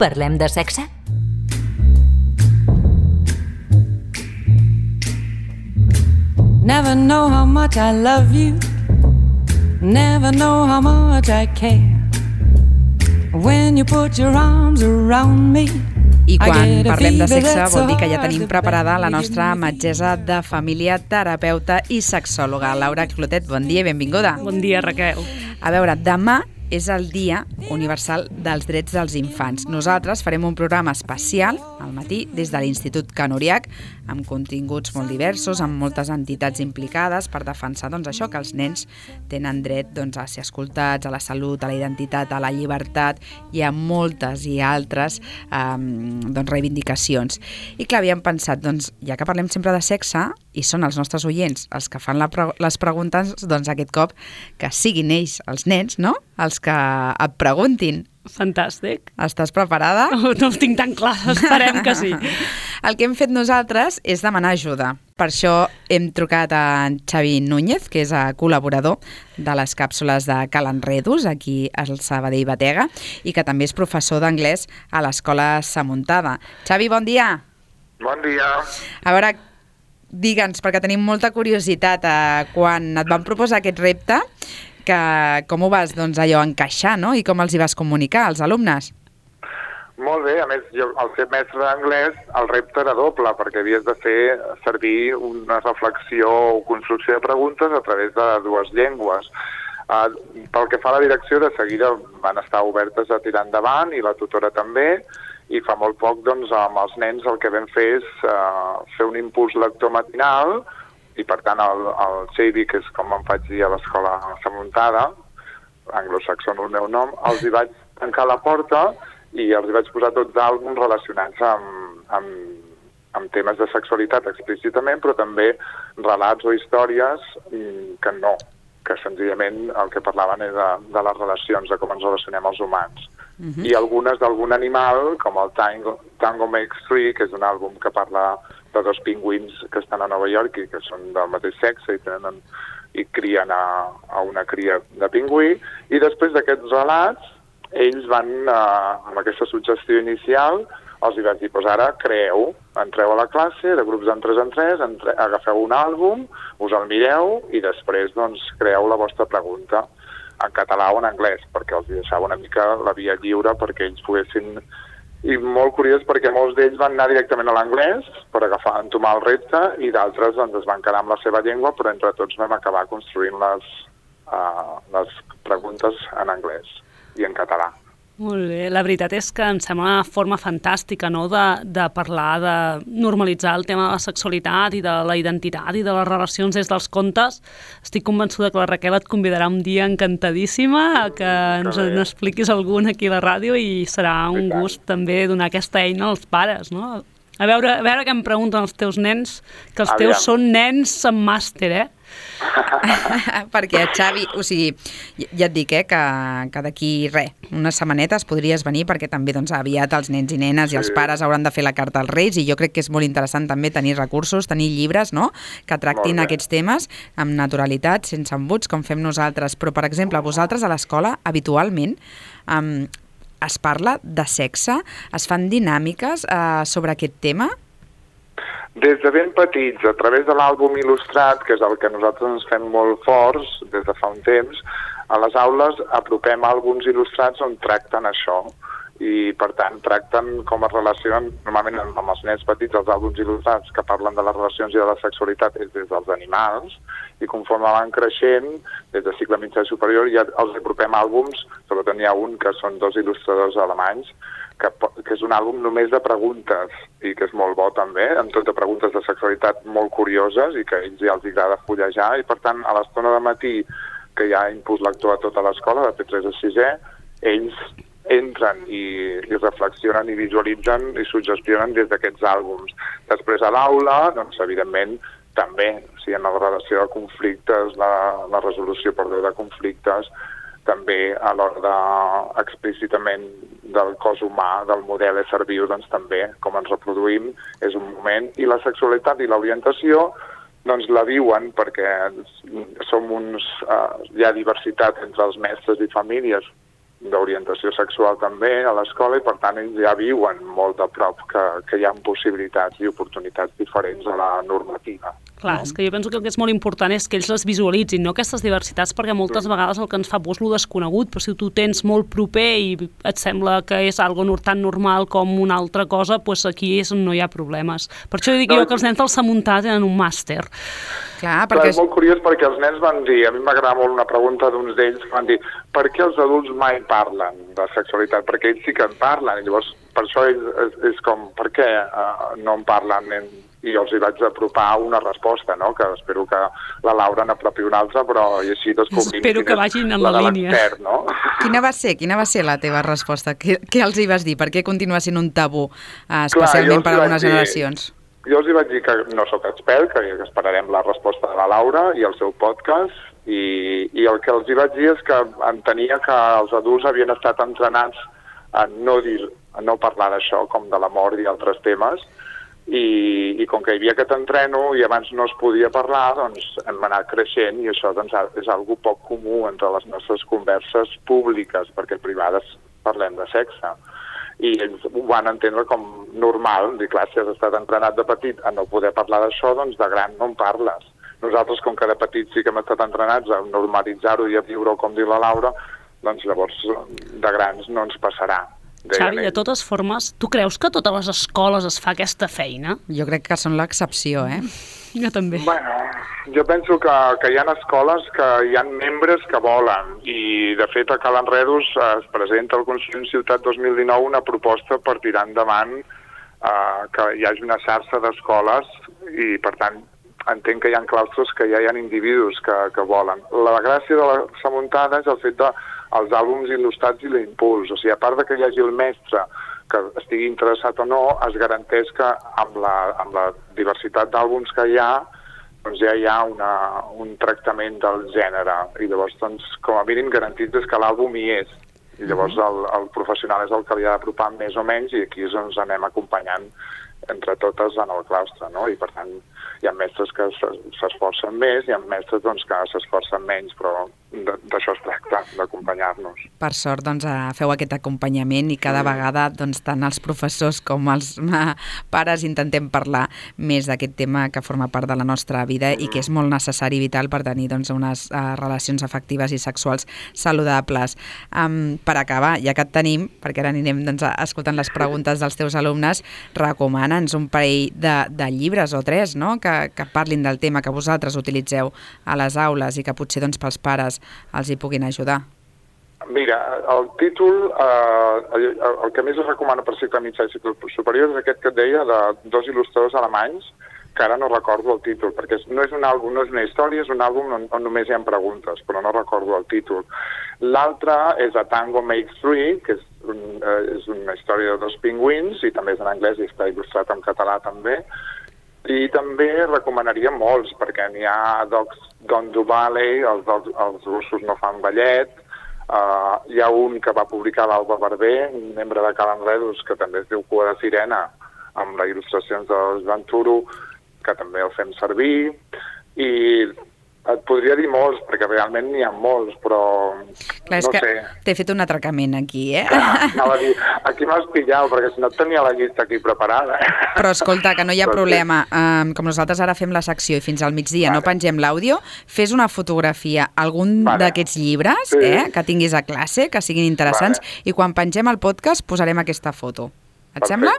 Parlem de sexe? Never know how much I love you. Never know how much I care. When you put your arms around me. I quan parlem de sexe vol dir que ja tenim preparada la nostra metgessa de família, terapeuta i sexòloga. Laura Clotet, bon dia i benvinguda. Bon dia, Raquel. A veure, demà és el Dia Universal dels Drets dels Infants. Nosaltres farem un programa especial al matí des de l'Institut Can Oriach, amb continguts molt diversos, amb moltes entitats implicades per defensar això, que els nens tenen dret a ser escoltats, a la salut, a la identitat, a la llibertat i a moltes i altres reivindicacions. I clar, havíem pensat, ja que parlem sempre de sexe i són els nostres oients els que fan les preguntes, aquest cop que siguin ells, els nens, no?, els que et preguntin. Fantàstic. Estàs preparada? No ho tinc tan clar, esperem que sí. El que hem fet nosaltres és demanar ajuda. Per això hem trucat a en Xavi Núñez, que és col·laborador de les càpsules de Cal Enredos, aquí al Sabadell Batega, i que també és professor d'anglès a l'Escola Samuntada. Xavi, bon dia. Bon dia. A veure, digue'ns, perquè tenim molta curiositat, quan et van proposar aquest repte, com ho vas encaixar, no? I com els hi vas comunicar als alumnes? Molt bé, a més, jo, al ser mestre d'anglès, el repte era doble, perquè havies de fer servir una reflexió o construcció de preguntes a través de dues llengües. Pel que fa a la direcció, de seguida van estar obertes a tirar endavant, i la tutora també, i fa molt poc, amb els nens el que vam fer és fer un impuls lector matinal, i per tant el Xavi, que és com em faig dir a l'escola Samuntada, anglosaxó el meu nom, els hi vaig tancar la porta i els hi vaig posar tots àlbums relacionats amb temes de sexualitat explícitament, però també relats o històries que senzillament el que parlaven és de les relacions, de com ens relacionem els humans. I algunes d'algun animal, com el Tango Makes Three, que és un àlbum que parla de dos pingüins que estan a Nova York i que són del mateix sexe i crien a una cria de pingüí. I després d'aquests relats, ells van, amb aquesta suggestió inicial, els hi vaig dir, ara creeu, entreu a la classe, de grups en 3 en 3, agafeu un àlbum, us el mireu i després creeu la vostra pregunta en català o en anglès, perquè els deixava una mica la via lliure perquè ells poguessin. I molt curiós perquè molts d'ells van anar directament a l'anglès per entomar el repte i d'altres es van quedar amb la seva llengua, però entre tots vam acabar construint les preguntes en anglès i en català. Molt bé, la veritat és que em sembla una forma fantàstica, no?, de parlar, de normalitzar el tema de la sexualitat i de la identitat i de les relacions des dels contes. Estic convençuda que la Raquel et convidarà un dia encantadíssima a que ens n'expliquis algun aquí a la ràdio i serà un gust també donar aquesta eina als pares, no? A veure què em pregunten els teus nens, que els teus són nens amb màster, Perquè, Xavi, ja et dic, que d'aquí unes setmanetes podries venir perquè també aviat els nens i nenes i els pares hauran de fer la carta als Reis i jo crec que és molt interessant també tenir recursos, tenir llibres, no?, que tractin aquests temes amb naturalitat, sense embuts, com fem nosaltres. Però, per exemple, vosaltres a l'escola, habitualment, es parla de sexe? Es fan dinàmiques sobre aquest tema? Des de ben petits, a través de l'àlbum il·lustrat, que és el que nosaltres ens fem molt forts des de fa un temps, a les aules apropem àlbums il·lustrats on tracten això. I, per tant, tracten com es relacionen, normalment amb els nens petits, els àlbums il·lustrats que parlen de les relacions i de la sexualitat és des dels animals, i conforme van creixent, des de cicle mitjà i superior, ja els apropem àlbums, sobretot n'hi ha un que són 2 il·lustradors alemanys, que és un àlbum només de preguntes, i que és molt bo també, amb tot de preguntes de sexualitat molt curioses i que a ells ja els agrada fullejar, i per tant, a l'estona de matí, que hi ha impuls lector a tota l'escola, de P3 a 6è, ells entren i reflexionen i visualitzen i suggestionen des d'aquests àlbums. Després a l'aula, evidentment, també, en la relació de conflictes, la resolució de conflictes, també a l'hora explícitament del cos humà, del model ésser viu, també, com ens reproduïm, és un moment. I la sexualitat i l'orientació la viuen perquè som hi ha diversitat entre els mestres i famílies d'orientació sexual també a l'escola i per tant ells ja viuen molt de prop que hi ha possibilitats i oportunitats diferents a la normativa. Clar, és que jo penso que el que és molt important és que ells les visualitzin, no aquestes diversitats, perquè moltes vegades el que ens fa por és lo desconegut, però si tu tens molt proper i et sembla que és algo tan normal com una altra cosa, doncs aquí és on no hi ha problemes. Per això dic jo que els nens del Samuntà tenen un màster. Clar, perquè... és molt curiós perquè els nens van dir, a mi m'agrada molt una pregunta d'uns d'ells que van dir per què els adults mai parlen de sexualitat? Perquè ells sí que en parlen i llavors per això és com, per què no en parlen? I jo els hi vaig apropar una resposta, no? Que espero que la Laura n'apropi una altra, però i així descobrim espero que vagin en la línia. No? Quina va ser la teva resposta? Què els hi vas dir? Per què continua sent un tabú, especialment per a algunes generacions? Jo els hi vaig dir que no sóc expert, que esperarem la resposta de la Laura i el seu podcast, i el que els hi vaig dir és que entenia que els adults havien estat entrenats a no parlar d'això, com de la mort i altres temes, i com que hi havia aquest entreno i abans no es podia parlar, doncs hem anat creixent i això doncs, és algo poc comú entre les nostres converses públiques, perquè privades parlem de sexe. I ells ho van entendre com normal, dir, clar, si has estat entrenat de petit a no poder parlar d'això, doncs de gran no en parles. Nosaltres, com que de petit sí que hem estat entrenats a normalitzar-ho i a viure-ho, com diu la Laura, doncs llavors de grans no ens passarà. Xavi, de totes formes, tu creus que a totes les escoles es fa aquesta feina? Jo crec que són l'excepció, Jo també. Bueno, jo penso que hi ha escoles que hi ha membres que volen i, de fet, a Cal Enredos es presenta al Consell Ciutat 2019 una proposta per tirar endavant que hi hagi una xarxa d'escoles i, per tant, entenc que hi ha claustres que ja hi ha individus que volen. La gràcia de la Samuntada és el fet dels àlbums il·lustrats i l'impuls. O sigui, a part de que hi hagi el mestre que estigui interessat o no, es garanteix que amb la diversitat d'àlbums que hi ha, doncs ja hi ha un tractament del gènere. I llavors, doncs, com a mínim, garantitzes que l'àlbum hi és. I llavors el professional és el que li ha d'apropar més o menys i aquí ens anem acompanyant entre totes en el claustre, no? I per tant hi ha mestres que s'esforcen més i hi ha mestres doncs, que s'esforcen menys, però d'això es tracta, d'acompanyar-nos. Per sort, doncs, feu aquest acompanyament i cada vegada doncs, tant els professors com els pares intentem parlar més d'aquest tema que forma part de la nostra vida i que és molt necessari i vital per tenir doncs, unes relacions afectives i sexuals saludables. Per acabar, ja que et tenim, perquè ara anirem doncs, escoltant les preguntes dels teus alumnes, recomana'ns un parell de llibres o tres, no? que parlin del tema que vosaltres utilitzeu a les aules i que potser doncs, pels pares els hi puguin ajudar. Mira, el títol, el que més es recomana per cicle mitjà i cicle superior és aquest que et deia de dos il·lustradors alemanys, que ara no recordo el títol, perquè no és un àlbum, no és una història, és un àlbum on només hi ha preguntes, però no recordo el títol. L'altre és A Tango Makes Three, que és una història de dos pingüins, i també és en anglès i està il·lustrat en català també. I també recomanaria molts, perquè n'hi ha Dogs Don't Do Ballet, els russos no fan ballet, hi ha un que va publicar l'Alba Barber, un membre de Cal Enredos, que també es diu Cua de Sirena, amb les il·lustracions de Joan Turo, que també el fem servir, i et podria dir molts, perquè realment n'hi ha molts, però clar, no sé. T'he fet un atracament aquí, Anava a dir, aquí m'has pillat, perquè si no tenia la llista aquí preparada. Però escolta, que no hi ha problema. Com nosaltres ara fem la secció i fins al migdia no pengem l'àudio, fes una fotografia, algun d'aquests llibres que tinguis a classe, que siguin interessants, i quan pengem el podcast posarem aquesta foto. Et sembla?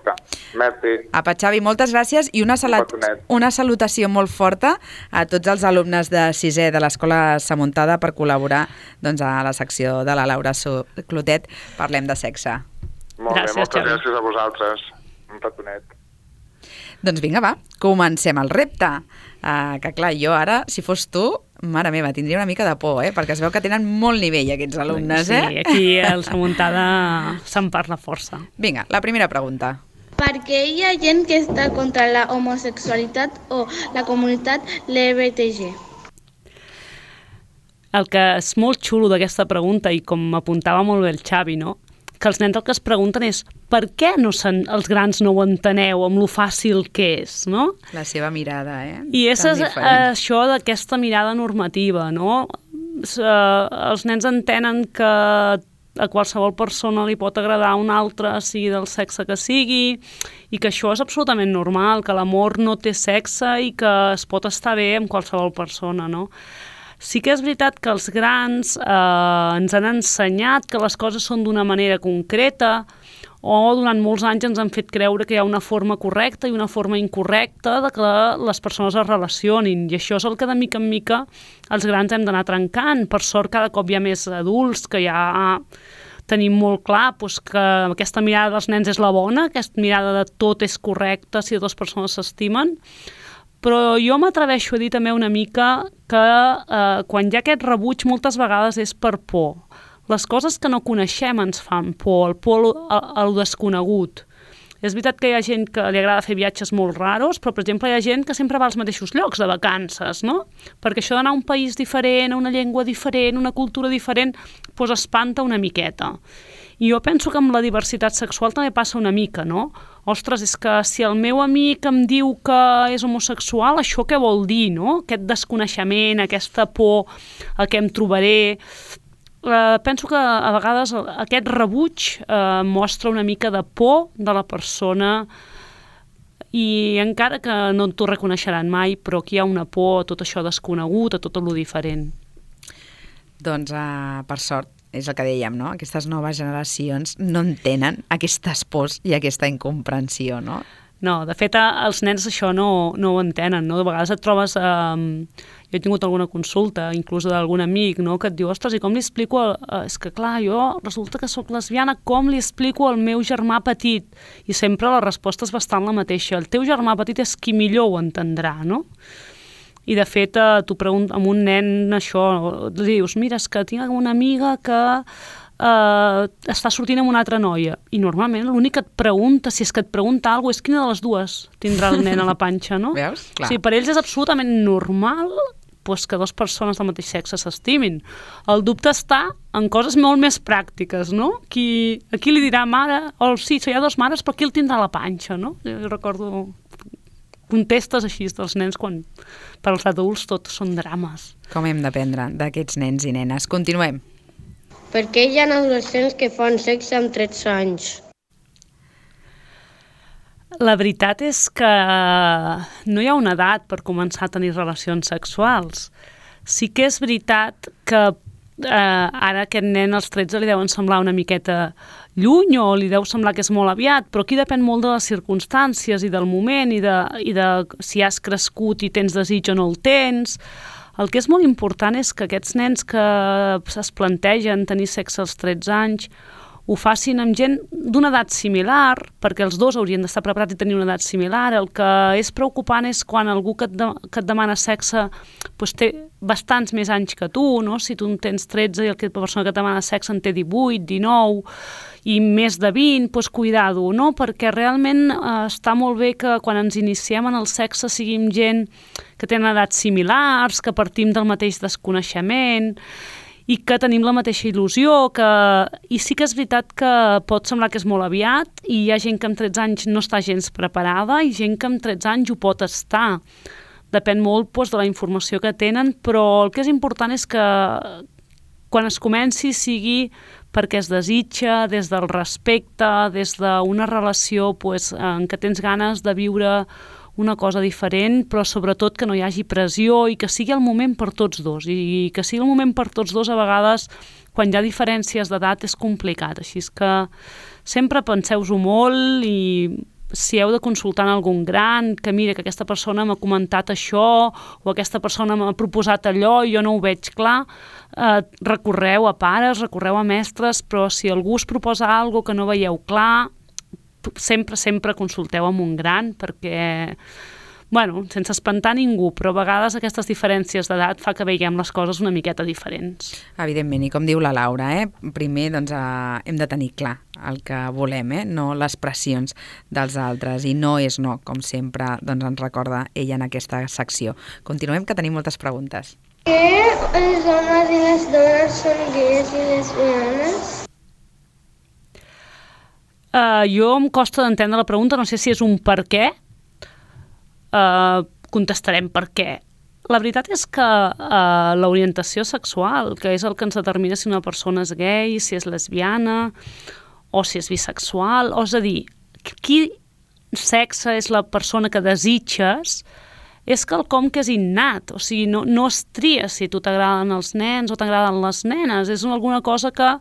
Merci. Apa, Xavi, moltes gràcies i una salutació molt forta a tots els alumnes de 6è de l'Escola Samuntada per col·laborar doncs, a la secció de la Laura Clotet Parlem de Sexe. Molt bé, moltes gràcies a vosaltres. Un petonet. Doncs vinga, va, comencem el repte. Que clar, jo ara, si fos tu, mare meva, tindria una mica de por, perquè es veu que tenen molt nivell aquests alumnes, Sí, aquí al Samuntada se'n parla força. Vinga, la primera pregunta. Per què hi ha gent que està contra la homosexualitat o la comunitat LGBTG? El que és molt xulo d'aquesta pregunta, i com apuntava molt bé el Xavi, no? Que els nens el que es pregunten és per què els grans no ho enteneu amb lo fàcil que és, no? La seva mirada, I és això d'aquesta mirada normativa, no? Els nens entenen que a qualsevol persona li pot agradar un altre, sigui del sexe que sigui, i que això és absolutament normal, que l'amor no té sexe i que es pot estar bé amb qualsevol persona, no? Sí que és veritat que els grans ens han ensenyat que les coses són d'una manera concreta, o durant molts anys ens han fet creure que hi ha una forma correcta i una forma incorrecta de que les persones es relacionin, i això és el que de mica en mica els grans hem d'anar trencant. Per sort cada cop hi ha més adults que ja tenim molt clar que aquesta mirada dels nens és la bona, aquesta mirada de tot és correcte si dues persones s'estimen, però jo m'atreveixo a dir també una mica que quan hi ha aquest rebuig moltes vegades és per por. Les coses que no coneixem ens fan por, el por a lo desconegut. És veritat que hi ha gent que li agrada fer viatges molt raros, però, per exemple, hi ha gent que sempre va als mateixos llocs de vacances, no? Perquè això d'anar a un país diferent, a una llengua diferent, una cultura diferent, doncs espanta una miqueta. I jo penso que amb la diversitat sexual també passa una mica, no? Ostres, és que si el meu amic em diu que és homosexual, això què vol dir, no? Aquest desconeixement, aquesta por a què em trobaré. Penso que a vegades aquest rebuig mostra una mica de por de la persona, i encara que no t'ho reconeixeran mai, però aquí hi ha una por a tot això desconegut, a tot el diferent. Doncs, per sort, és el que dèiem, no? Aquestes noves generacions no entenen aquestes pors i aquesta incomprensió, no? No, de fet, els nens això no ho entenen, no? De vegades et trobes... Jo he tingut alguna consulta, inclús d'algun amic, no? Que et diu, ostres, i com li explico... És que, clar, jo resulta que sóc lesbiana, com li explico al meu germà petit? I sempre la resposta és bastant la mateixa. El teu germà petit és qui millor ho entendrà, no? I, de fet, tu preguntes amb un nen això, li dius, mira, és que tinc una amiga que... està sortint amb una altra noia, i normalment l'únic que et pregunta, si és que et pregunta alguna cosa, és quina de les dues tindrà el nen a la panxa, no? Veus? Clar. Sí, per ells és absolutament normal que dues persones del mateix sexe s'estimin. El dubte està en coses molt més pràctiques, no? Aquí li dirà mare, o sí, hi ha dues mares, però qui el tindrà a la panxa, no? Jo recordo contestes així dels nens quan per als adults tot són drames. Com hem d'aprendre d'aquests nens i nenes? Continuem. Per què hi ha adolescents que fan sexe amb 13 anys? La veritat és que no hi ha una edat per començar a tenir relacions sexuals. Sí que és veritat que ara aquest nen als 13 li deuen semblar una miqueta lluny o li deu semblar que és molt aviat, però aquí depèn molt de les circumstàncies i del moment i de si has crescut i tens desig o no el tens. El que és molt important és que aquests nens que es plantegen tenir sexe als 13 anys ho facin amb gent d'una edat similar, perquè els dos haurien d'estar preparats i tenir una edat similar. El que és preocupant és quan algú que et demana sexe té bastants més anys que tu, no? Si tu en tens 13 i la persona que et demana sexe en té 18, 19 i més de 20, doncs cuidado, no? Perquè realment està molt bé que quan ens iniciem en el sexe siguin gent que tenen edats similars, que partim del mateix desconeixement i que tenim la mateixa il·lusió, i sí que és veritat que pot semblar que és molt aviat i hi ha gent que amb 13 anys no està gens preparada i gent que amb 13 anys ho pot estar. Depèn molt de la informació que tenen, però el que és important és que quan es comenci sigui perquè es desitja, des del respecte, des d'una relació en què tens ganes de viure una cosa diferent, però sobretot que no hi hagi pressió i que sigui el moment per tots dos. I que sigui el moment per tots dos a vegades, quan hi ha diferències d'edat, és complicat. Així és que sempre penseu-ho molt i si heu de consultar en algun gran, que mira que aquesta persona m'ha comentat això o aquesta persona m'ha proposat allò i jo no ho veig clar, recorreu a pares, recorreu a mestres, però si algú us proposa alguna cosa que no veieu clar, sempre consulteu amb un gran perquè, sense espantar ningú, però a vegades aquestes diferències d'edat fa que veiem les coses una miqueta diferents. Evidentment, i com diu la Laura, primer hem de tenir clar el que volem, no les pressions dels altres, i no és no, com sempre ens recorda ella en aquesta secció. Continuem, que tenim moltes preguntes. Què els homes i les dones són gais i lesbianes? Jo em costa d'entendre la pregunta, no sé si és un per què. Contestarem per què. La veritat és que l'orientació sexual, que és el que ens determina si una persona és gay, si és lesbiana o si és bisexual, o és a dir, quin sexe és la persona que desitges, és quelcom que és innat, o sigui, no es tria si tu t'agraden els nens o t'agraden les nenes, és alguna cosa que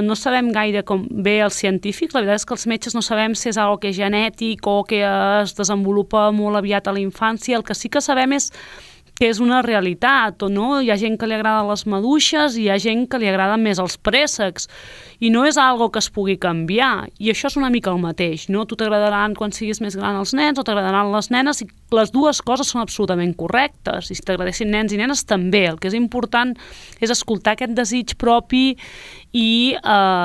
no sabem gaire com bé els científics, la veritat és que els metges no sabem si és algo que és genètic o que es desenvolupa molt aviat a la infància, el que sí que sabem és que és una realitat, o no? Hi ha gent que li agrada les maduixes i hi ha gent que li agraden més els préssecs, i no és algo que es pugui canviar, i això és una mica el mateix, no? Tu t'agradaran quan siguis més gran els nens o t'agradaran les nenes, i les dues coses són absolutament correctes, i si t'agradessin nens i nenes també. El que és important és escoltar aquest desig propi i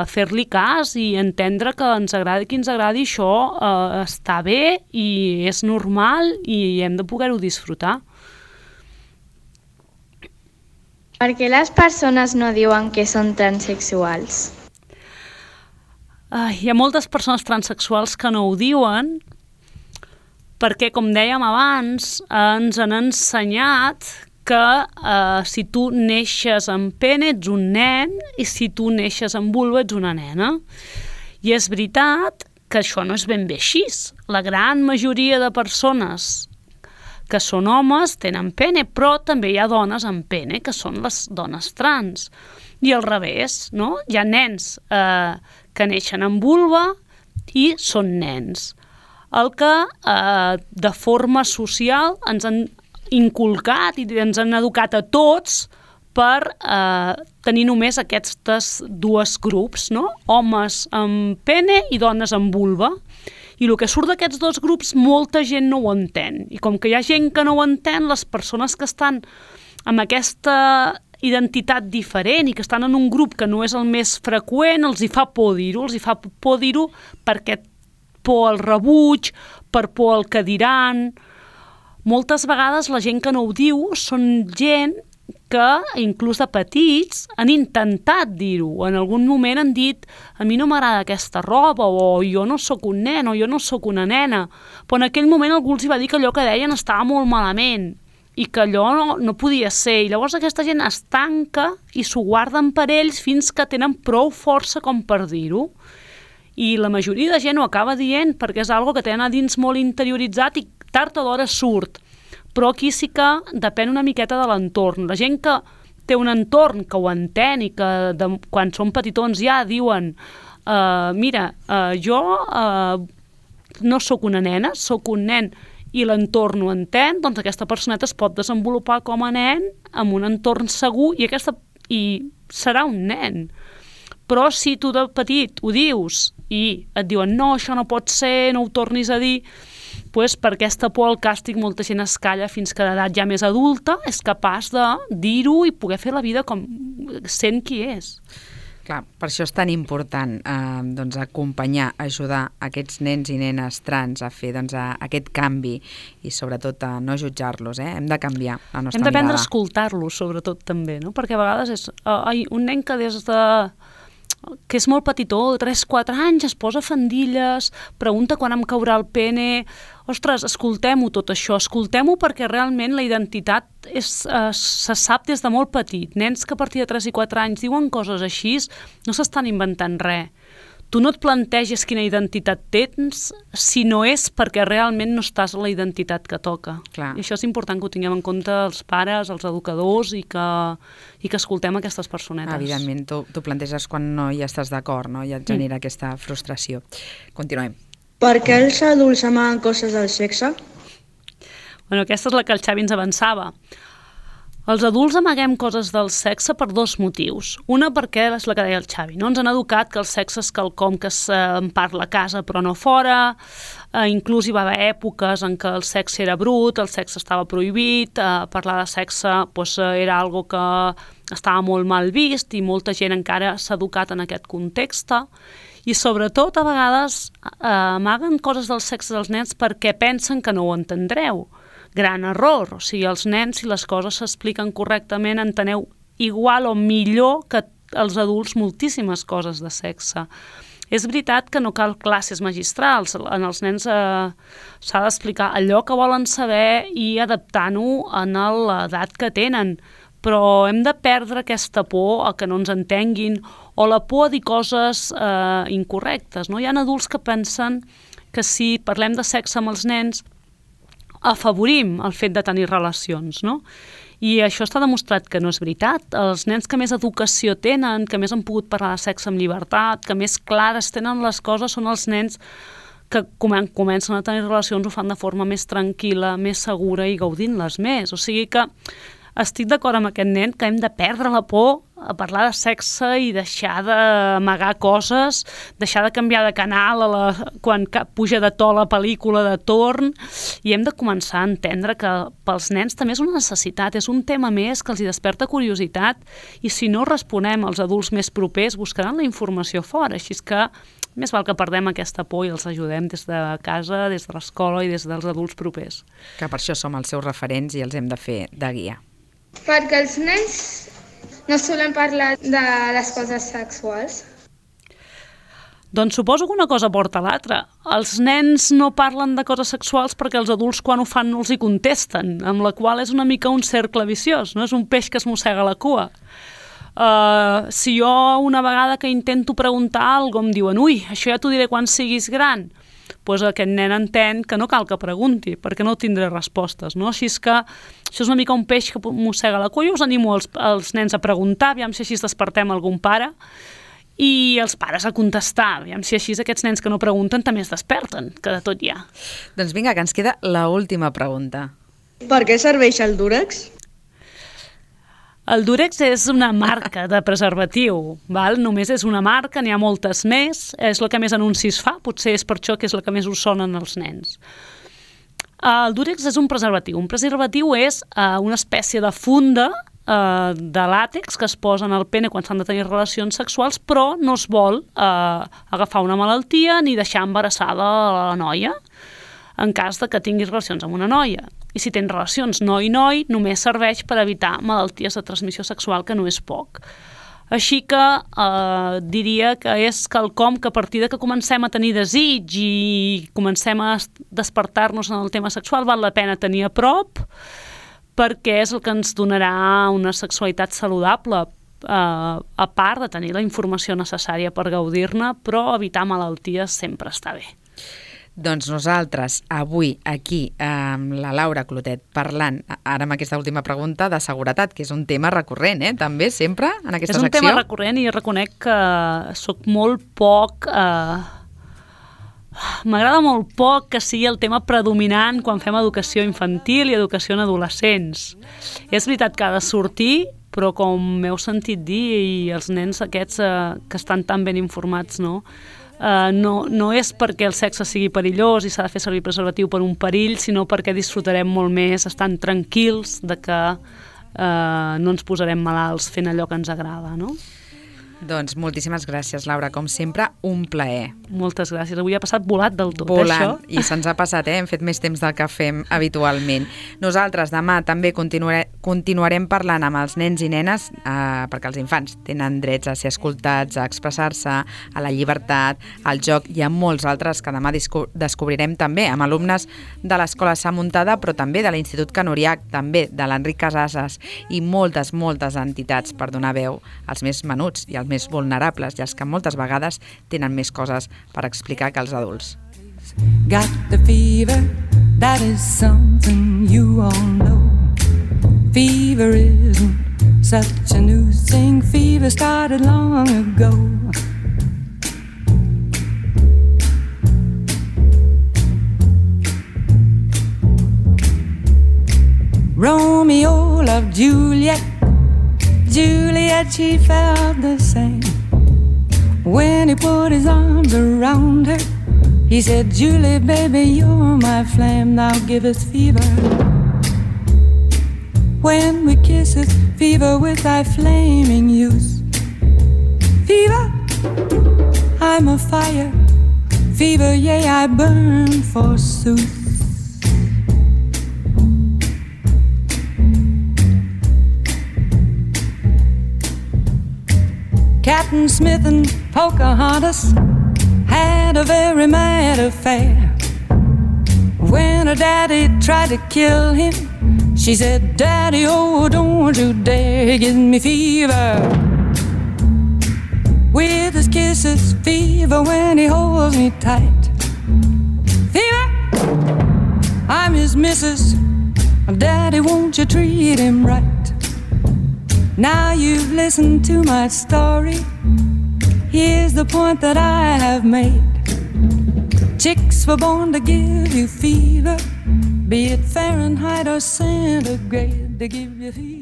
fer-li cas i entendre que ens agradi qui ens agradi, això està bé i és normal i hem de poder-ho disfrutar. Per què les persones no diuen que són transsexuals? Hi ha moltes persones transsexuals que no ho diuen perquè, com dèiem abans, ens han ensenyat que si tu neixes amb pene ets un nen i si tu neixes amb vulva ets una nena. I és veritat que això no és ben bé així. La gran majoria de persones que són homes tenen pene, però també hi ha dones amb pene, que són les dones trans. I al revés, no? Hi ha nens que neixen amb vulva i són nens. El que de forma social ens han inculcat i ens han educat a tots per tenir només aquests dos grups, no? Homes amb pene i dones amb vulva. I el que surt d'aquests dos grups molta gent no ho entén. I com que hi ha gent que no ho entén, les persones que estan amb aquesta identitat diferent i que estan en un grup que no és el més freqüent, els hi fa por dir-ho. Els hi fa por dir-ho perquè por al rebuig, per por al que diran. Moltes vegades la gent que no ho diu són gent que, inclús de petits, han intentat dir-ho. En algun moment han dit a mi no m'agrada aquesta roba, o jo no sóc un nen, o jo no sóc una nena. Però en aquell moment algú els va dir que allò que deien estava molt malament i que allò no podia ser. I llavors aquesta gent es tanca i s'ho guarden per ells fins que tenen prou força com per dir-ho. I la majoria de gent ho acaba dient perquè és algo que tenen a dins molt interioritzat i tard o d'hora surt. Però aquí sí que depèn una miqueta de l'entorn. La gent que té un entorn que ho entén i que quan són petitons ja diuen mira, jo no sóc una nena, sóc un nen, i l'entorn ho entén, doncs aquesta personeta es pot desenvolupar com a nen en un entorn segur i serà un nen. Però si tu de petit ho dius i et diuen no, això no pot ser, no ho tornis a dir, doncs per aquesta por al càstig molta gent es calla fins que d'edat ja més adulta és capaç de dir-ho i poder fer la vida com sent qui és. Clar, per això és tan important doncs, acompanyar, ajudar aquests nens i nenes trans a fer doncs, aquest canvi i sobretot a no jutjar-los, Hem de canviar la nostra mirada. Hem d'aprendre a escoltar-los, sobretot també, no? Perquè a vegades és un nen que és molt petitó, de 3-4 anys, es posa faldilles, pregunta quan em caurà el pene. Ostres, escoltem-ho tot això, escoltem-ho perquè realment la identitat se sap des de molt petit. Nens que a partir de 3 i 4 anys diuen coses així, no s'estan inventant res. Tu no et planteges quina identitat tens si no és perquè realment no estàs a la identitat que toca. Clar. I això és important que ho tinguem en compte els pares, els educadors i que escoltem aquestes personetes. Evidentment, tu planteges quan no hi estàs d'acord, no? I et genera aquesta frustració. Continuem. Per què els adults amaguen coses del sexe? Bueno, aquesta és la que el Xavi ens avançava. Els adults amaguem coses del sexe per 2 motius. Una perquè és la que deia el Xavi, no? Ens han educat que el sexe és quelcom que en parla a casa però no fora, inclús hi va haver èpoques en què el sexe era brut, el sexe estava prohibit, parlar de sexe era algo que estava molt mal vist i molta gent encara s'ha educat en aquest context. I sobretot a vegades amaguen coses del sexe dels nens perquè pensen que no ho entendreu. Gran error, o sigui, els nens, si les coses s'expliquen correctament, enteneu igual o millor que els adults moltíssimes coses de sexe. És veritat que no cal classes magistrals. En els nens s'ha d'explicar allò que volen saber i adaptant-ho a l'edat que tenen. Però hem de perdre aquesta por a que no ens entenguin o la por a dir coses incorrectes. No? Hi ha adults que pensen que si parlem de sexe amb els nens afavorim el fet de tenir relacions, no? I això està demostrat que no és veritat. Els nens que més educació tenen, que més han pogut parlar de sexe amb llibertat, que més clares tenen les coses, són els nens que comencen a tenir relacions, ho fan de forma més tranquil·la, més segura i gaudint-les més. O sigui que estic d'acord amb aquest nen que hem de perdre la por a parlar de sexe i deixar d'amagar coses, deixar de canviar de canal quan puja de to la pel·lícula de torn, i hem de començar a entendre que pels nens també és una necessitat, és un tema més que els hi desperta curiositat, i si no responem als adults més propers buscaran la informació fora, així que més val que perdem aquesta por i els ajudem des de casa, des de l'escola i des dels adults propers. Que per això som els seus referents i els hem de fer de guia. Perquè els nens no solen parlar de les coses sexuals. Doncs suposo que una cosa porta a l'altra. Els nens no parlen de coses sexuals perquè els adults quan ho fan no els hi contesten, amb la qual és una mica un cercle viciós, no? És un peix que es mossega la cua. Si jo una vegada que intento preguntar alguna cosa em diuen «Ui, això ja t'ho diré quan siguis gran», doncs aquest nen entén que no cal que pregunti, perquè no tindré respostes, no? Així és que això és una mica un peix que mossega la cua. Jo us animo els nens a preguntar, aviam si així despertem algun pare, i els pares a contestar, aviam si així aquests nens que no pregunten també es desperten, que de tot hi ha. Doncs vinga, que ens queda l'última pregunta. Per què serveix el Durex? El Durex és una marca de preservatiu, val? Només és una marca, n'hi ha moltes més, és la que més anuncis fa, potser és per això que és la que més us sonen als nens. El Durex és un preservatiu. Un preservatiu és una espècie de funda de làtex que es posa en el pene quan s'han de tenir relacions sexuals, però no es vol agafar una malaltia ni deixar embarassada la noia en cas de que tinguis relacions amb una noia. I si tens relacions noi-noi, només serveix per evitar malalties de transmissió sexual, que no és poc. Així que diria que és quelcom que a partir de que comencem a tenir desig i comencem a despertar-nos en el tema sexual, val la pena tenir a prop, perquè és el que ens donarà una sexualitat saludable, a part de tenir la informació necessària per gaudir-ne, però evitar malalties sempre està bé. Doncs nosaltres, avui, aquí, amb la Laura Clotet, parlant, ara amb aquesta última pregunta, de seguretat, que és un tema recurrent, també, sempre, en aquesta secció. És un tema recurrent i reconec que soc molt poc... M'agrada molt poc que sigui el tema predominant quan fem educació infantil i educació en adolescents. És veritat que ha de sortir, però com m'heu sentit dir, i els nens aquests que estan tan ben informats, no és perquè el sexe sigui perillós i s'ha de fer servir preservatiu per un perill, sinó perquè disfrutarem molt més estant tranquils de que no ens posarem malalts fent allò que ens agrada, no? Doncs moltíssimes gràcies, Laura. Com sempre, un plaer. Moltes gràcies. Avui ha passat volat del tot, volant, això. I se'ns ha passat, hem fet més temps del que fem habitualment. Nosaltres demà també continuarem parlant amb els nens i nenes, perquè els infants tenen drets a ser escoltats, a expressar-se, a la llibertat, al joc. Hi ha molts altres que demà descobrirem també amb alumnes de l'Escola Sa Muntada, però també de l'Institut Can Uriach, també de l'Enric Casases i moltes entitats per donar veu als més menuts i als més vulnerables, i els que moltes vegades tenen més coses per explicar que els adults. Got the fever, that is something you all know. Fever isn't such a new thing, fever started long ago. Romeo loved Juliet, Juliet, she felt the same. When he put his arms around her, he said, Julie, baby, you're my flame, thou givest fever. When we kiss it, fever with thy flaming youth. Fever, I'm a fire. Fever, yea, I burn forsooth. Captain Smith and Pocahontas had a very mad affair. When her daddy tried to kill him, she said, Daddy, oh, don't you dare give me fever. With his kisses, fever when he holds me tight. Fever, I'm his missus. Daddy, won't you treat him right? Now you've listened to my story. Here's the point that I have made. Chicks were born to give you fever, be it Fahrenheit or centigrade, they give you fever.